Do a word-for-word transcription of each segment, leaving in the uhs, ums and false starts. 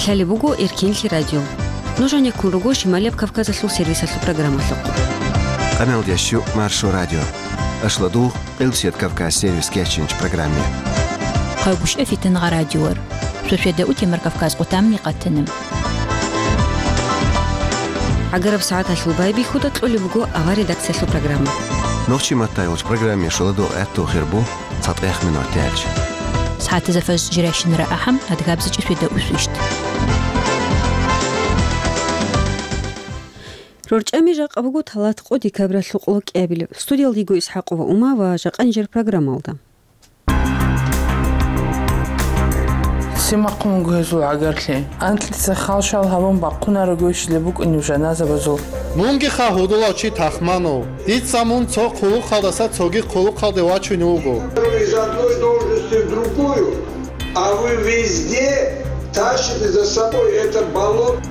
Лъалеб буго Эркенлъи радио. Нуж гьанеккун руго Шималияб Кавказалъул сервисалъул программалъухъ. Къаналдящу Маршо радио. Ашладу Къилбсият Кавказ сервис кечинч программе. Хъайбушев Фитангъа радиор. Шошеда утемар Кавказ къутамни къатанам. ГӀагараб сагӀаталъул байбихьуда кьолеб буго авар редакциялъул программа. Нохчи матайулч программе шоладу гӀатту хирбу. ЦатӀех минуталъ. СагӀатазда фажр жирайщинара ахӀам, адгабзичӀи шведа усвищ. РорчӀами жакъа буго талат къо декабралъул къоло кӀиабилеб. Студиялда йиго ИсхӀакъова Ума ва жакъа нижер программалда. Цимахъун гьезул гӀагарлъи. Анкьица халшал гьабун бахъунарого щилеб букӀунеб жаназабазул. Мунги ха гьудулав чи тахманав. Дица мун цо хъулухъалдаса цоги хъулухъалде вачунев вуго. Из одной должности в другую, а вы везде тащите за собой это болото.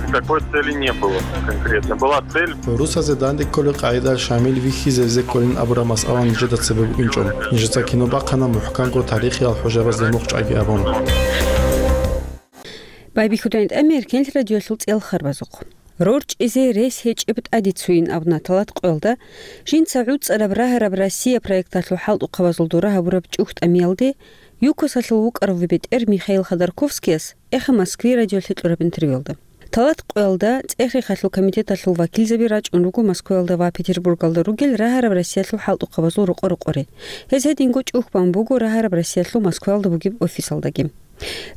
Никакой цели не было конкретно. Была цель. Русазе данде кколел къагӀидаялъ Шамил вихьизе везе кколин абураб масъала нижеда цебе букӀинчӀо. Нижеца кино бахъана мухӀканго тарихиял хӀужабазде мухъ чӀваги абун. Байбихьудайин тӀамер кенлъ радиоялъул цӀел харбазухъ. РорчӀизе рес гьечӀеб тӀаде цуйин абуна талат къоялда, жинца гӀуцӀараб рагьараб Россия проекталъул хӀалтӀухъабазул дора гьабураб чӀухӀ тӀамиялде, ЮКОСалъул вукӀарав бетӀер Михаил Ходорковскияс эхе Москве радиолъе кьураб интервьюялда. Талат къоялда цӀех-рехалъул комитеталъул вакилзаби рачӀун руго Москваялда ва Петербургалда ругел рагьараб Россиялъул хӀалтӀухъабазул рокъо-рокъоре. Гьез гьединго чӀухӀ бан буго рагьараб Россиялъул Москваялда бугеб офисалдаги.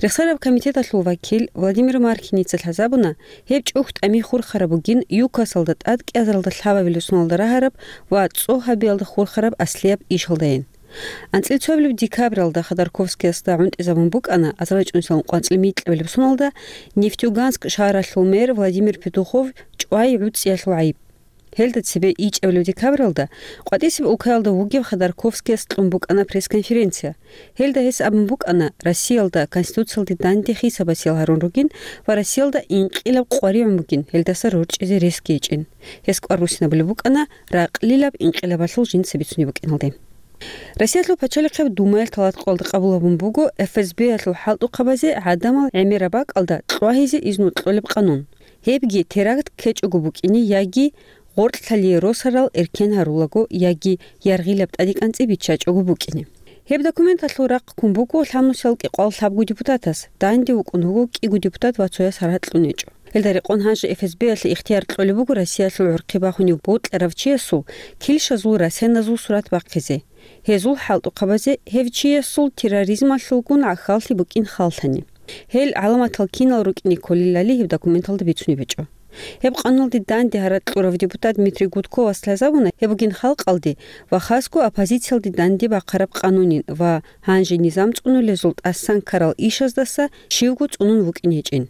Рехсараб комитеталъул вакил Владимир Маркиница лъазабуна, гьеб чӀухӀ тӀами хурхараб бугин ЮКОСалда тӀад кӀиазаралда лъабабилеб соналда рагьараб ва цӀо гьабиялда хурхараб аслияб ишалдайин. АнцӀил цоабилеб декабралда Ходорковскиясда гӀунтӀизабун букӀана азарилчӀунсилан къванцӀил микьабилеб соналда Нефтьюганск шагьаралъул мэр Владимир Петухов чӀвай гӀуцӀиялъул гӀайиб. Гьелда цебе ичӀабилеб декабралда къватӀисеб улкаялда вугев Ходорковскияс кьун букӀана пресс-конференция. Гьелда гьес абун букӀана, Россиялда Конституциялде данде хисабасиял гьарун ругин ва Россиялда инкъилаб къваригӀун бугин, гьелдаса рорчӀизе рес гьечӀин. Гьес кӀвар буссинабулеб букӀана ракълилаб инкъилабалъул жинца бицунеб букӀиналде. Россиялъул пачалихъеб Думаялъ талат къоялда къабул гьабун буго ФСБ-ялъул хӀалтӀухъабазе гӀадамал гӀемераб бакӀалда кьвагьизе изну кьолеб къанун. Гьебги теракт ккечӀого букӀине яги гъоркьлъалие росарал эркен гьарулаго яги яргъилаб тӀадекӀанцӀи биччачӀого букӀине. Гьеб документалъул рахъ ккун буго лъабнусиялда кӀикъоялда лъабго депутатас, данде вукӀун вуго кӀиго депутат ва цояс гьаракь кьун гьечӀо. Гьелда рекъон гьанже ФСБ-ялъе ихтияр кьолеб буго Россиялъул гӀурхъи бахунев бокьарав чиясул килщазул расеназул сурат бахъизе. Гьезул хӀалтӀухъабазе гьев чиясул терроризмалъулгун гӀахьаллъи букӀин халлъани. Гьел гӀаламатал кинал рукӀине кколелали гьеб документалда бицунеб гьечӀо. Гьеб къануналде данде гьаракь кьурав депутат Дмитрий Гудковас лъазабуна гьеб бугин халкъалде ва хасго оппозициялде данде бахъараб къанунин ва гьанже низам цӀунулезул тӀасан ккарал ишаздаса щивго цӀунун вукӀин гьечӀин.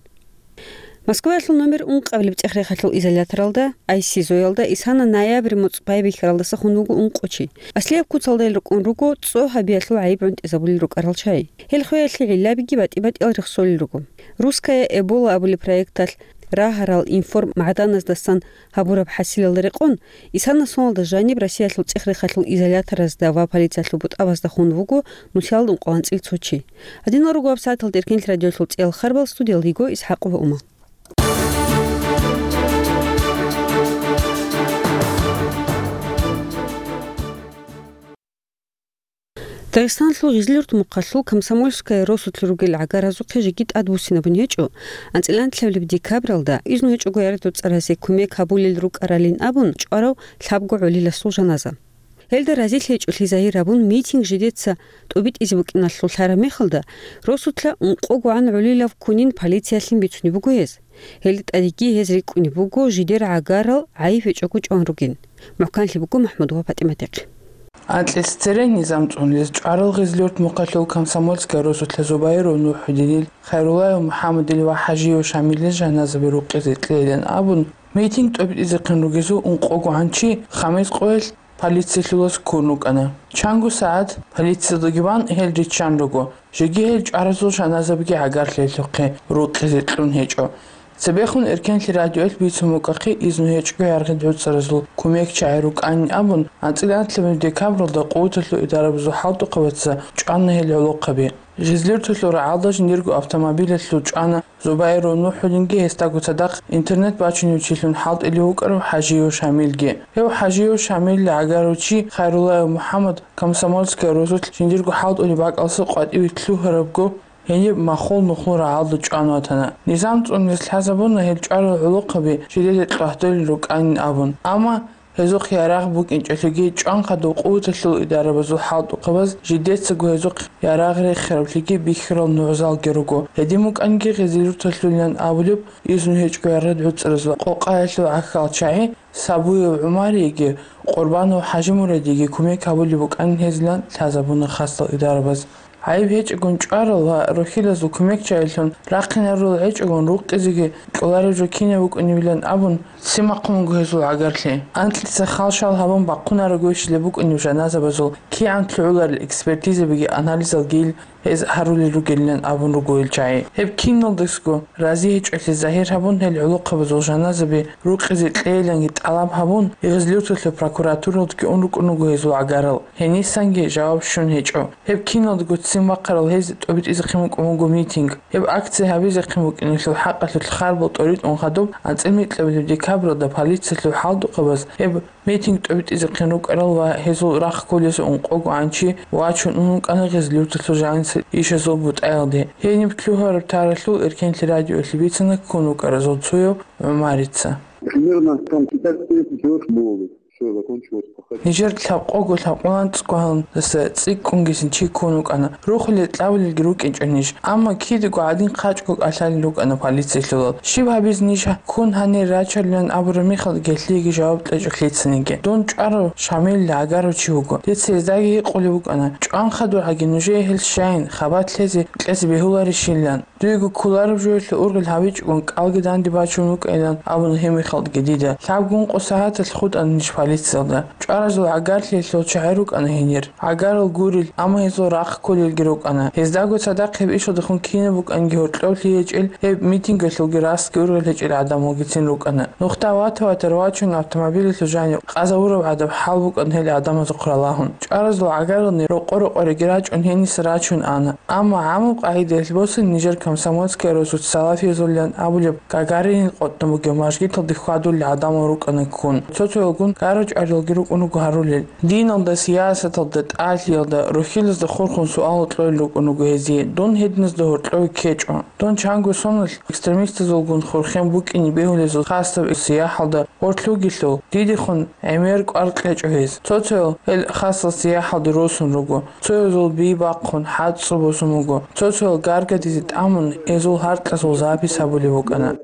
Москваялъул номер ункъабилеб цӀех-рехалъул изоляторалда, айсизоялда, исана ноябрь муцӀ байбихьаралдаса хун вуго ункъо чи. Аслияб куцалда гьел рукӀун руго цӀо гьабиялъул гӀайиб гӀунтӀизабулел рукӀарал чагӀи. Гьел хвеялъе гӀиллабиги батӀи-батӀиял рехсолел руго. Русская Эбола абулеб проекталъ рагьарал информ-магӀданаздасан гьабураб хӀасилалда рекъон, исана соналда жаниб Россиялъул цӀех-рехалъул изоляторазда ва полициялъул бутӀабазда хун вуго нусиялда ункъоялда анцӀила цо чи. Гьадинал руго гьабсагӀаталда Эркенлъи радиоялъул цӀел харбал, студиялда йиго ИсхӀакъова Ума. Дагъистаналъул Гъизлиюрт мухъалъул Комсомольская росулъ ругел гӀагаразухъе жеги тӀадбуссинабун гьечӀо, анцӀила анлъабилеб декабралда, изну гьечӀого яратуцӀаразе кумек гьабулел рукӀаралин абун чӀварав лъабго гӀолиласул жаназа. Гьелда разилъи гьечӀолъи загьир гьабун, митинг жидеца тӀубитӀизе букӀиналъул лъараб мехалда, росулъа ункъогогӀан гӀолилав ккунин полициялъин бицунеб буго гьез. Гьелда тӀадеги гьез рикӀкӀунеб буго жидер гӀагарал гӀайиб гьечӀого чӀван ругин. МухӀканлъи буго МахӀмудова ПатӀиматихъ. Анкьица цере низам цӀунулез чӀварал Гъизлиюрт мухъалъул Комсомольская росулъа Зубайров НухӀудинил, Хайруллаев МухӀаммадил ва ХӀажиев Шамилил жаназаби рукъизе кьейилан абун, митинг тӀубитӀизехъин ругезул ункъогогӀан чи Хамис къоялъ полициялъулаз ккун рукӀана. Чанго сагӀат полициялдаги ван гьел риччан руго, жеги гьел чӀваразул жаназабиги гӀагарлъи гьелъухъе рукъизе кьун гьечӀо. Цебехун Эркенлъи радиоялъ бицун букӀахъе изну гьечӀого яргъи гӀуцӀаразул кумекчагӀи рукӀанин абун, анцӀила анлъабилеб декабралда къуваталъул идарабазул хӀалтӀухъабаца чӀвана гьел гӀолохъаби. Гъизлиртулъул рагӀалда жиндирго автомобилалъул чӀвана Зубайров НухӀудинги гьесдаго цадахъ интернет бачунев чилъун хӀалтӀулев вукӀарав ХӀажиев Шамилги. Гьев ХӀажиев Шамилли гӀагарав чи Хайруллаев МухӀаммад Комсомольская росулъ жиндирго хӀалтӀулеб бакӀалъа къватӀиве лъугьарабго, гьениб махул нухлу рагӀалда чӀван ватана. Низам цӀунулъ лъазабуна гьел чӀварал гӀолохъаби жидеда кьвагьдулел рукӀанин абун. Амма гьезухъ ярагъ букӀинчӀелъулги, чӀван хадуб къуваталъул идарабазул хӀалтӀухъабаз жидецаго гьезухъ ярагъ рехиравлъиги бихьарал нугӀзалги руго. Гьедин букӀанги гъизлиртулъулилан абулеб изну гьечӀого яргъи гӀуцӀаразул къокъаялъул гӀахьалчагӀи Сабуев ГӀумариеги Къурбанов ХӀажимурадиеги кумек гьабулеб букӀанин гьезилан лъазабуна хасал идарабаз. ГӀайиб гьечӀогун чӀварал ва рухьилазул кумекчагӀилъун рахъинарурал гьечӀогун рукъизеги кьолареб жо кинаб букӀунебилан абун, ццин бахъун буго гьезул гӀагарлъи. Анкьица хал-шал гьабун бахъунарого щилеб букӀунеб жаназабазул кигӀан лъугӀуларел экспертизабиги анализалги ил гьез гьарулел ругелилан абун руго ил чагӀи. Гьеб киналдасго рази гьечӀолъи загьир гьабун, гьел гӀолохъабазул жаназаби рукъизе кьейиланги тӀалаб гьабун, Гъизлиртулъа прокуратуралдги ун рукӀун руго гьезул гӀагарал. Гьенисанги жаваб щун гьечӀо. Гьеб киналдаго ццин бахъарал гьез тӀобитӀизехъин букӀун буго митинг. Гьеб акция гьабизехъин букӀинелъул хӀакъалъулъ хабар тӀоритӀун хадуб, анцӀила микьабилеб декабралда полициялъул хӀалтӀухъабаз гьеб митинг тӀобитӀизехъин рукӀарал ва гьезул рахъ кколесухъ ункъого гӀанчи вачун ун вукӀана Гъизлиртулъул жанисел ишазул бутӀаялде. Гьениб лъугьараб таралъул Эркенлъи радиоялъе бицана ккун вукӀаразул цояв ГӀумарица. Примерно там пятнадцать тридцать человек было. Всё, закончилось пахать. Нижер лъабкъого лъабкъоялда цӀикӀкӀунгисин чи ккун вукӀана. Рухулел-кьабулелги рукӀинчӀо ниж. Амма кидаго гӀадин хъачӀго кӀалъалел рукӀана полициялъулал. Щиб гьабизе ниж ккун гьанир рачарилан абураб мехалда гьелъиеги жаваб кьечӀо лъицаниги. Дун чӀварав Шамилли гӀагарав чи вуго. Дица гьездаги гьикъулеб букӀана: «ЧӀван хадуб гьаги нужее гьел щайин, хабалъ лъезе кьезе бегьуларищилан?» Дуего кколареб жоялъе ургъел гьавичӀогун кӀалги данде бачун вукӀайилан абуна гьеб мехалдаги дида. Лъабго-ункъо сагӀаталъ хутӀана ниж полициялда. ЧӀваразул гӀагарлъиялъул чагӀи рукӀана гьенир. ГӀагарал гурел, амма гьезул рахъ кколелги рукӀана. Гьездаго цадахъ гьеб ишалдехун кинаб букӀанги гьоркьов лъиечӀел, гьеб митингалъулги расги ургъел гьечӀел гӀадамалгицин рукӀана. Нухда вата-ватарав вачун автомобилалъул жанив къазавураб гӀадаб хӀал букӀана гьел гӀадамазухъ ралагьун. ЧӀваразул гӀагарални рокъо-рокъореги рачӀун гьениса рачун ана. Амма гӀамаб къагӀидаялъ босани нижер Комсомольская росулъ салафиязулилан абулеб Гагаринил къотӀун бугеб мажгиталде хьвадулел гӀадамал рукӀана ккун. Цо-цоялгун гара-чӀваралги рукӀун руго гьарулел. Диналда, сиясаталда, тӀалъиялда, рухьилазда хурхун суалал кьолел рукӀун руго гьезие: «Дун гьединазда гьоркьове ккечӀо. Дун чанго соналъ экстремистазулгун хурхен букӀине бегьулезул хасаб сияхӀалда гъорлъ вугелъул, дидехун гӀемер кӀвар кьечӀо гьез». Цо-цоял гьел хасал сияхӀалде росун руго. Цоязул би бахъун, хӀацӀцӀу босун буго. Цо-цоял гаргадизе тӀамун, гьезул гьаркьазул запись гьабулеб букӀана.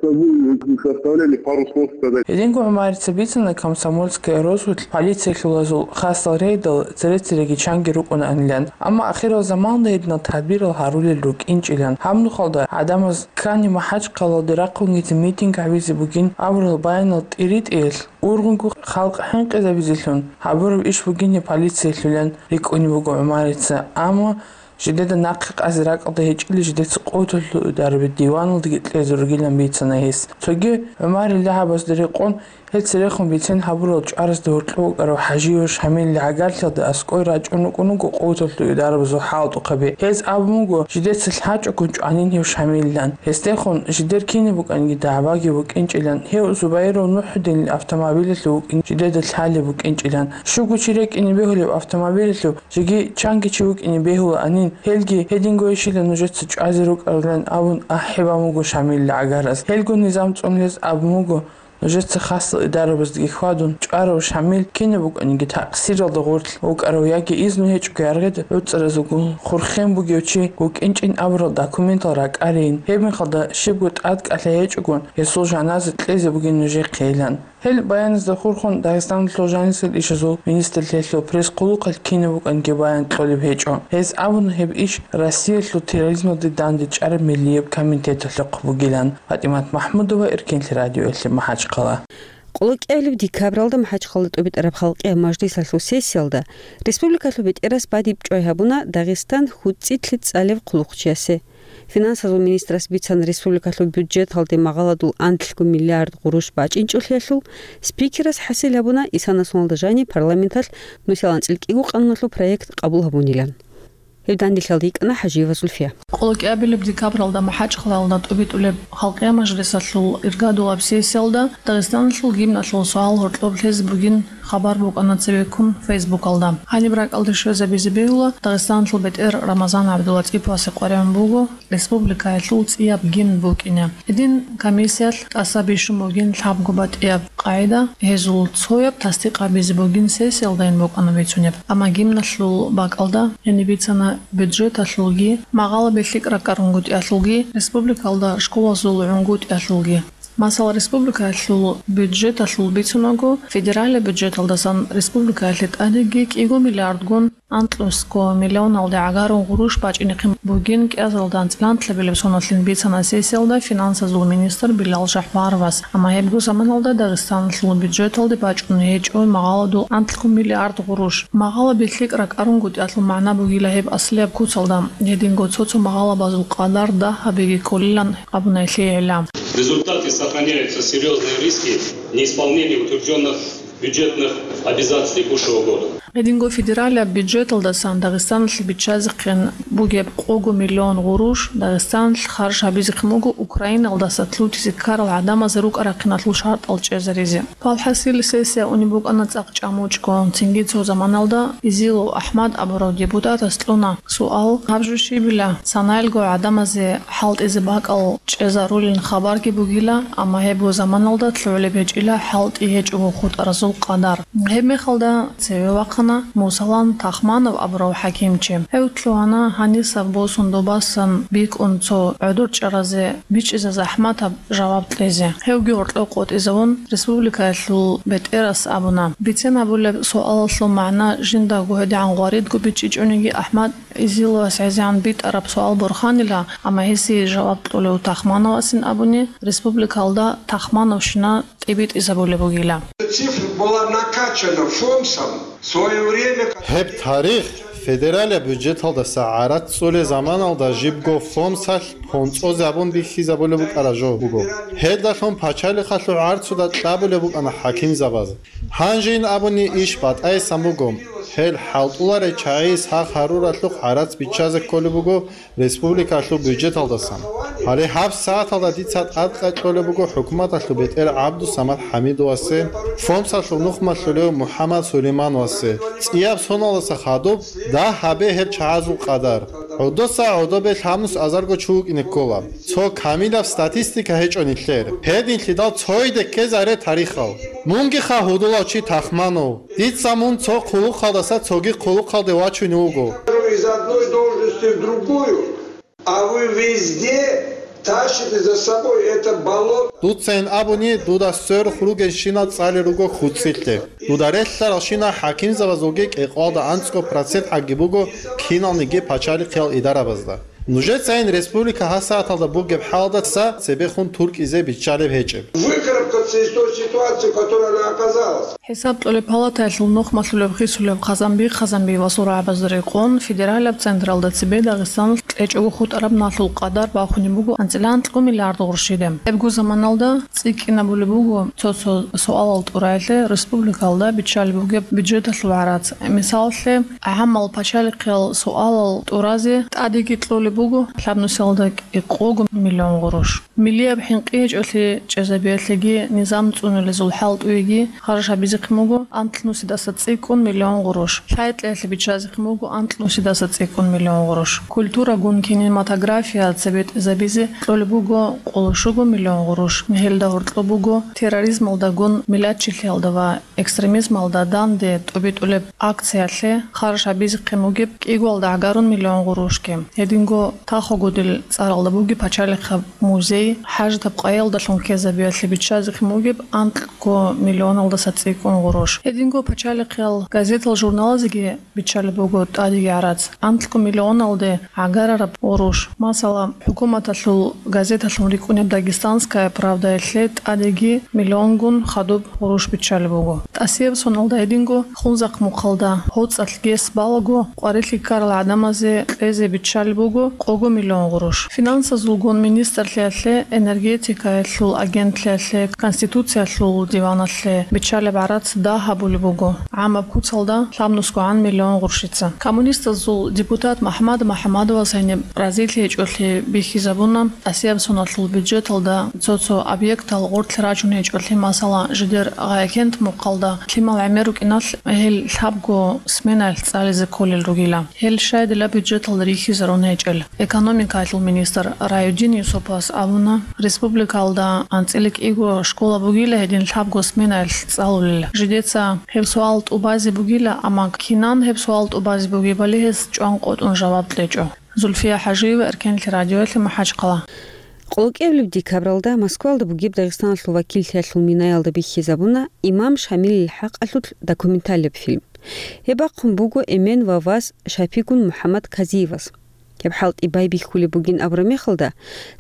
Гьединго ГӀумарица бицана Комсомольская росулъ полициялъулазул хасал рейдал цере-цереги чанги рукӀунаанилан. Амма ахирал заманалда гьединал тадбирал гьарулел рукӀинчӀилан. Гьаб нухалда гӀадамаз ккани МахӀачхъалалде рахъунгизе митинг гьабизе бугин абурал баянал тӀиритӀиялъ, ургъунго халкъ хӀинкъизабизелъун гьабураб иш бугин гьеб полициялъулан рикӀкӀунеб буго ГӀумарица. Амма жидеда нахъе къазе ракӀалда гьечӀели, жидеца къоталъул идараби диваналдаги кьезе ругилан бицана гьес. Цоги ГӀумарил лягӀабазда рекъон, гьел церехун бицен гьабурал чӀваразда гьоркьов вукӀарав ХӀажиев Шамилли гӀагарлъиялда аскӀой рачӀун рукӀун руго къоталъул идарабазул хӀалтӀухъаби. Гьез абун буго, жидеца лъачӀого чӀванин гьев Шамиллан. Гьесдехун жидер кинаб букӀанги дагӀбаги букӀинчӀилан, гьев Зубайров НухӀудинил автомобилалъув вукӀин жидеда лъалеб букӀинчӀилан. Щуго чи рекӀине бегьулеб автомобилалъув жеги чанги чи вукӀине бегьулаанин, гьелги гьединго ишила нужеца чӀвазе рукӀарилан абун ахӀи бан буго Шамилли гӀагарас. Гьелго низам цӀунулес абун буго, нужеца хасал идарабаздаги хьвадун, чӀварав Шамил кинаб букӀаниги такъсиралда гъорлъ вукӀарав яги изну гьечӀого яргъи гӀуцӀаразулгун хурхен бугев чи вукӀинчӀин абурал документал ракӀарейин. Гьеб мехалда щибго тӀадкӀалъи гьечӀогун, гьесул жаназа кьезе бугин нужехъейилан. Гьел баяназда хурхун Дагъистаналъул жанисел ишазул министрлъиялъул пресс-хъулухъалъ кинаб букӀанги баян кьолеб гьечӀо. Гьез абуна гьеб иш Россиялъул терроризмалде дандечӀараб миллияб комитеталъухъ бугилан. ПатӀимат МахӀмудова, Эркенлъи радиоялъе, МахӀачхъала. КӀиабилеб декабралда МахӀачхъала тӀубитӀараб халкъиял мажлисалъул сессиялда республикалъул бетӀерас бадиб чӀвай гьабуна Дагъистан хьуцӀидлъи цӀалев хъулухъчиясе. Финансазул министрас бицана республикалъул бюджеталде магъаладул анлъго миллиард гъурущ бачӀинчӀолъиялъул. Спикерас хӀасил гьабуна исана соналда жаниб парламенталъ нусилан анцӀил кӀиго къануналъул проект къабул гьабунилан. Гьеб данделъиялда йикӀана ХӀажиева Зульфия. Къоло кӀиабилеб декабралда МахӀачхъалаялда тӀубитӀулеб халкъиял мажлисалъул иргадулаб сессиялда Дагъистаналъул гимналъул суал гьоркьоб лъезе бугин хабар букӀана цебеккун Фейсбукалда. Гьаниб ракӀалде щвезабизе бегьула, Дагъистаналъул бетӀер Рамазан ГӀабдулатӀиповасе къваригӀун буго республикаялъул цӀияб гимн букӀине. Гьедин комиссиялъ тӀаса бищун бугин лъабго батӀияб къагӀида, гьезул цояб тасдикъ гьабизе бугин сессиялдайин букӀана бицунеб. Амма гимналъул бакӀалда гьениб бицана бюджеталъулги, магъала билъи ракӀарун гутӀиялъулги, республикалда школазул гӀунгутӀиялъулги. Масала, республикаялъул бюджеталъул бицунаго, федералияб бюджеталдасан республикаялъе тӀадеги кӀиго миллиардгун анлънусго миллионалде гӀагарун гъурущ бачӀинехъин бугин кӀиазалда анцӀила анлъабилеб соналъин бицана сессиялда финансазул министр Билал Жапаровас, амма гьебго заманалда Дагъистаналъул бюджеталде бачӀун гьечӀо магъаладул анлъго миллиард гъурущ. Магъала билъи ракӀарун гутӀиялъул магӀна бугила гьеб аслияб куцалда, гьединго цо-цо магъалабазул къадар дагь гьабиги кколилан абуна гьелъие гӀилла. В результате сохраняются серьёзные риски неисполнения утверждённых бюджетных обязательств текущего года. Гьединго федералияб бюджеталдасан Дагъистаналъе биччазехъин бугеб къого миллион гъурущ Дагъистаналъ харж гьабизехъин буго Украиналдаса лъутизе ккарал гӀадамазе рукӀа-рахъиналъул шартӀал чӀезаризе. Валхъасил, сессия унеб букӀана цӀакъ чӀамучӀго, цинги цо заманалда Изилов АхӀмад абурав депутатас кьуна суал: гьаб жо щибила, санаялго гӀадамазе хӀалтӀизе бакӀал чӀезарулин хабарги бугила, амма гьебго заманалда лъугӀулеб гьечӀила хӀалтӀи гьечӀого хутӀаразул къадар. Гьеб мехалда цеве вахъана Мусалан Тахманов абурав хӀакимчи. Гьев лъугьана гьанисаб босун добасан бикӀун цо гӀодор чӀаразе бичӀчӀизе захӀматаб жаваб кьезе. Гьевги гьоркьов къотӀизавун, республикаялъул бетӀерас абуна: бицен гьабулеб суалалъул магӀна жиндаго гьедигӀан гъваридго бичӀчӀичӀониги, АхӀмад Изиловас гӀезегӀан битӀараб суал борханила, амма гьесие жаваб кьолев Тахмановасин абуни, республикалда Тахмановщина тӀибитӀизабулеб бугила. Цифра была накачана ФОМСом в своё время, как... Гьеб тарих, федералияб бюджеталдаса гӀарац цӀулел заманалда жибго ФОМСалъ хӀонцӀозабун бихьизабулеб букӀараб жо буго. Гьелдалъун пачалихъалъул гӀарцуда кьабулеб букӀана хӀакимзабаз. Гьанжейин абуни иш батӀайсан буго. Гьел хӀалтӀуларел чагӀи сах гьаруралъухъ гӀарац биччазе кколеб буго республикалъул бюджеталдасан. Гьале гьаб сагӀаталда дица тӀадкъай кьолеб буго хӀукуматалъул бетӀер ГӀабдусамад ХӀамидовасе, ФОМСалъул нухмалъулев МухӀаммад Сулеймановасе. ЦӀияб соналдаса хадуб дагь гьабе гьел чагӀазул къадар. ГӀодоса гӀодобе лъабнус азарго чи вукӀине ккола. Цо камилаб статистика гьечӀо нилъер. Гьединлъидал цойде ккезаре тарихал. Мунгиха гьудулав чи Тахманов. Дица мун цо хъулухъалдаса цоги хъулухъалде вачунев вуго. Из одной должности в другую, а вы везде тащите за собой это болото. Дуцайин абуни, дуда сверухъ ругелщинал цӀалел руго хӀуцӀилъе. Дуда релълъаралщинал хӀакимзабазулги кӀикъоялда анцӀго процент гӀаги буго киналниги пачалихъиял идарабазда. Нужецайин республика гьасагӀаталда бугеб хӀалдаса цебехун туркӀизе биччалеб гьечӀеб. Выкарабкаться из той ситуации, в которой она оказалась. ХӀисаб кьолеб палатаялъул нухмалъулеб хисулеб Хъазанби Хъазанбиевасул рагӀабазда рекъон, федералияб централда цебе Дагъистаналъ кьечӀого хутӀараб налъул къадар бахунеб буго анцӀила анлъго миллиард гъурщиде. Гьебго заманалда цӀикӀкӀинабулеб буго цо-цо суалал тӀураялъе республикалда биччалеб бугеб бюджеталъул гӀарац. Мисалалъе, гӀамал пачалихъиял суалал тӀуразе тӀадеги кьолеб буго лъабнусиялда кӀикъого миллион гъурущ. Миллияб хӀинкъи гьечӀолъи чӀезабиялъеги низам цӀунулезул хӀалтӀуеги харж гьабизехъин буго анлънусидаса цӀикӀкӀун миллион гъурущ. Лъайкьиялъе биччазехъин буго анлънусидаса цӀикӀкӀун миллион гъурущ. Культурагун кинематография цебетӀезабизе кьолеб буго къоло щуго миллион гъурущ. Гьелда гьоркьоб буго терроризмалдагун миллатчилъиялда ва экстремизмалда данде тӀубитӀулеб акциялъе харж гьабизехъин бугеб кӀигоялда гӀагарун миллион гъурущги. Гьединго Тахогудил цӀаралда бугеб пачалихъаб музей, хӀажатаб къайиялдалъун ккезабиялъе биччазехъин бугеб анкьго миллионалдаса цӀикӀкӀун гъурущ. Гьединго пачалихъиял газетал-журналазеги биччалеб буго тӀадеги гӀарац. Анкьго миллионалде гӀагар битӀараб гъурущ. Масала, хӀукуматалъул газеталъун рикӀкӀунеб «Дагестанская правдаялъе» тӀадеги миллионгун хадуб гъурущ биччалеб буго. ТӀасияб соналда гьединго Хунзахъ мухъалда гьоцӀалъ гес балаго къварилъи ккарал гӀадамазе кьезе биччалеб буго къого миллион гъурущ. Финансазулгун министрлъиялъе, энергетикаялъул агентлъиялъе, Конституциялъул диваналъе биччалеб гӀарац дагь гьабулеб буго гӀамаб куцалда лъабнусгогӀан миллион гъурщица. Коммунистазул депутат МахӀмад МахӀмадовас гьениб разилъи гьечӀолъи бихьизабуна, тӀасияб соналъул бюджеталда цо-цо объектал гъорлъ рачун гьечӀолъи, масала, жидер Гъаякент мухъалда лъимал гӀемер рукӀиналъ гьел лъабго сменаялъ цӀализе кколел ругила. Гьел щайдила бюджеталда рихьизарун гьечӀел. Экономикаялъул министр Райудин Юсуповас абуна, республикалда анцӀила кӀиго школа бугила гьедин лъабго сменаялъ цӀалулел. Жидеца гьеб суал тӀубазе бугила, амма кинан гьеб суал тӀубазе бугебали гьес чӀван къотӀун жаваб кьечӀо. Зульфия ХӀажиева, Эркенлъи радиоялъе, МахӀачхъала. Къолокъиабилеб декабралда Москвалда бугеб Дагъистаналъул вакиллъиялъул минаялда бихьизабуна Имам Шамилил хӀакъалъулъ документалияб фильм. Гьеб бахъун буго эмен ва вас Шапигун МухӀаммад Казиевас. Гьеб хӀалтӀи байбихьулеб бугин абураб мехалда,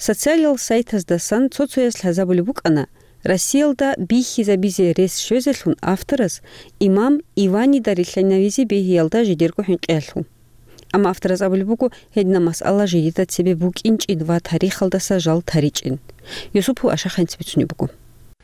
социалиял сайтаздасан цо-цояс лъазабулеб букӀана, Россиялда бихьизабизе рес щвезелъун авторас имам Иванида рилълъинавизе бегьиялда жидерго хӀинкъиялъул. Амма авторас абулеб буго, гьединаб масъала жидеда цебе букӀинчӀин ва тарихалдаса жал таричӀин. Юсупов Ашаханец бицунеб буго.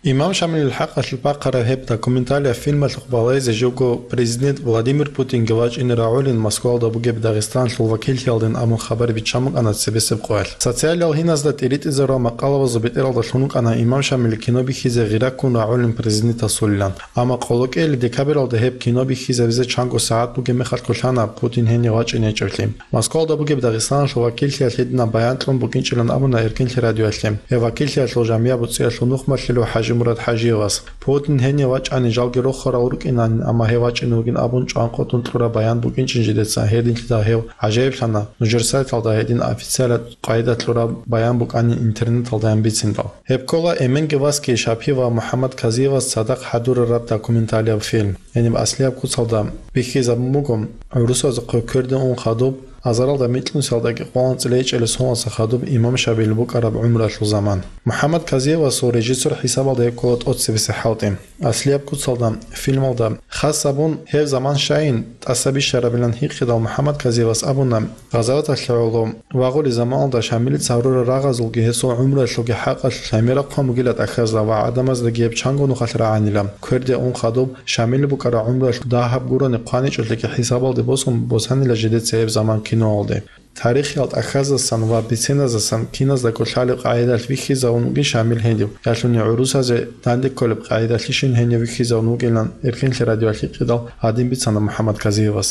Имам Шамилил хӀакъалъулъ бахъараб гьеб документалияб фильмалъухъ балайзе живго президент Владимир Путинги вачӀине рагӀулин Москвалда бугеб Дагъистаналъул вакиллъиялдин абун хабар биччан букӀана цебесеб къоялъ. Социалиял гьиназда тӀиритӀизарурал макъалабазул бетӀералда лъун вукӀана Имам Шамил кино бихьизе гъира ккун рагӀулин президентасулилан. Амма къолокӀиялъ декабралда гьеб кино бихьизабизе чанго сагӀат бугеб мехалъ кколъана Путин гьенив вачӀине гьечӀеблъи. Москвалда бугеб Дагъистаналъул вакиллъиялъ гьединаб баян кьун букӀинчӀилан абуна Эркенлъи радиоялъе. Гьеб вакиллъиялъул жамияб буцӀиялъул нухмалъилав ХӀажимурад ХӀажиевас. Путин гьенив вачӀани жалги рохарал рукӀинан, амма гьев вачӀине вугин абун чӀван къотӀун кьураб баян букӀинчӀин жидеца, гьединлъидал гьев гӀажаиблъана, нужер сайталда гьедин официалаб къайда кьураб баян букӀанин интернеталдаян бициндал. Гьеб ккола эменги васги Шапи ва МухӀаммад Казиевас цадахъ хӀадурараб документалияб фильм. Гьениб аслияб куцалда бихьизабун буго, гӀурусазухъе кверде ун хадуб, азаралда микьнусиялдаги къоло анцӀила гьечӀелес гьуналса хадуб имам Шамил букӀараб гӀумруялъул заман. МухӀаммад Казиевасул режиссер хӀисабалда гьеб ккола тӀоцебесеб хӀалтӀи. Аслияб куцалда фильмалда хас гьабун, гьеб заман щайин тӀаса бищарабилан гьикъидал МухӀаммад Казиевас абуна, гъазаваталъе гӀоло вагъулеб заманалда Шамилица гьарурал рагъазулги гьесул гӀумруялъулги хӀакъалъулъ гӀемераб хъван бугила тӀахьазда ва гӀадамаздаги гьеб чанго нухалъ рагӀанила. Кверде ун хадуб, Шамил букӀараб гӀумруялъ дагьаб гурони хъваничӀолъиги хӀисабалде босун босанила жидеца гьеб заман киноялде. Тарихиял тӀахьаздасан ва биценаздасан киназдаго лъалеб къагӀидалъ вихьизавун вугин Шамил гьенив, ялъуни гӀурусазе данде кколеб къагӀидалъишин гьенив вихьизавун вугилан Эркенлъи радиоялъ гьикъидал гьадин бицана МухӀаммад Казиевас.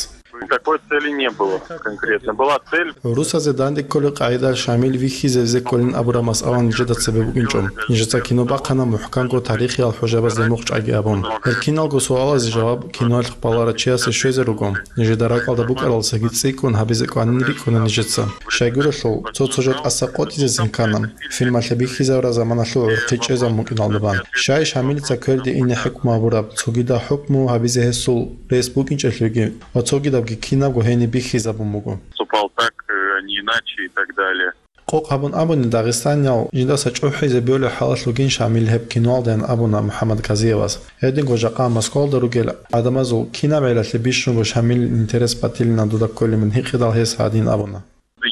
Такой цели не было конкретно. Была цель. ГӀурусазе данде кколеб къагӀидалъ Шамил вихьизавизе кколин абураб масъала нижеда цебе букӀинчӀо. Нижеца кино бахъана мухӀканго тарихиял хӀужабазде мухъ чӀваги абун. Гьел киналго суалазе жаваб киноялъухъ баларав чиясе щвезе руго. Нижеда ракӀалда букӀаралдасаги цӀикӀкӀун гьабизе кӀванин рикӀкӀуна нижеца. Щайгурелъул, цо-цо жо тӀаса къотӀизесин ккана, фильмалъе бихьизарураб заманалъул гӀурхъи чӀезабун букӀиналда бан. Щай Шамилица кверде ине хӀукму гьабураб, цогидал хӀукму гьабизе гьесул рес букӀинчӀелъулги ва цогидабги кинабго гьениб бихьизабун буго. Поступал так, э, а не иначе и так далее. Къокъ гьабун абуни, дагъистаниял жидаса чӀухӀизе бегьулеб хӀалалъ вугин Шамил гьеб киноялдаян абуна МухӀаммад Казиевас. Гьединго жакъа Москвалда ругел гӀадамазул кинаб гӀелалъе бищунго Шамилил интерес батилина дуда кколебин гьикъидал гьес гьадин абуна.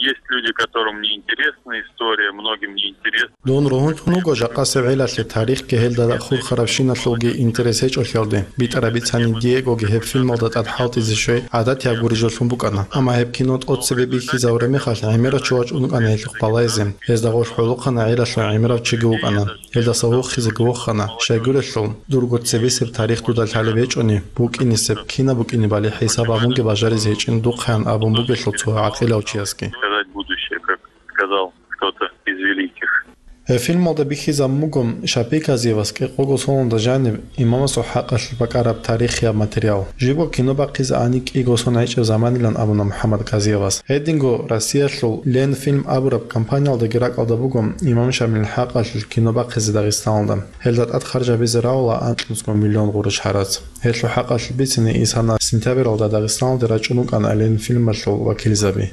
Есть люди, которым не интересна история, многим не интересна. Дун ругьунлъун вуго жакъасеб гӀелалъе тарихги гьелда хурхарабщиналъулги интерес гьечӀолъиялде. БитӀараб бицани, Диегоги гьеб фильмалда тӀад хӀалтӀизе щвей гӀадатияб гурищ жолъун букӀана. Амма гьеб кино тӀоцебе бихьизабураб мехалъ гӀемерав чи вачӀун вукӀана гьелъухъ балайзе. Гьезда гъорлъ гӀолохъана гӀелалъул гӀемерав чиги вукӀана. Гьелдаса вохизеги вохана. Щайгурелъул, дурго цебесеб тарих дуда лъалеб гьечӀони, букӀинесеб, кинаб букӀинебали хӀисаб гьабунги бажаризе гьечӀин духъаян абун бугелъул цо гӀакъилав чиясги. Сказать будущее, как сказал кто-то из великих. Гьеб фильмалда бихьизабун буго Шапи Казиевас кӀикъого соналда жаниб имамасул хӀакъалъулъ бакӀараб тарихияб материал. Живго кино бахъизе ани кӀиго сон гьечӀеб заманилан абуна МухӀаммад Казиевас. Гьединго Россиялъул Ленфильм абураб компаниялдаги ракӀалда буго имам Шамилил хӀакъалъулъ кино бахъизе Дагъистаналда. Гьелда тӀад харж гьабизе равула анкьнусго миллион гъурущ гьарац. Гьелъул хӀакъалъулъ бицине, исана сентябралда Дагъистаналде рачӀун вукӀана Ленфильмалъул вакилзаби.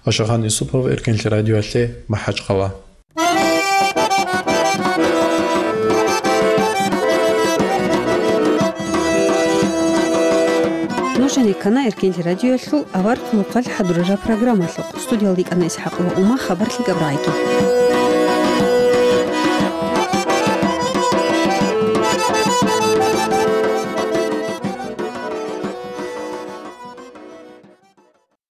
Ашагъан Юсупов, Эркенлъи радиоялъе, МахӀачхъала. Нуж гьанеккана Эркенлъи радиоялъул авар хъулухъалъ хӀадурараб программалъухъ. Студиялда йикӀана ИсхӀакъова Ума, хабар лъикӀаб рагӀиги.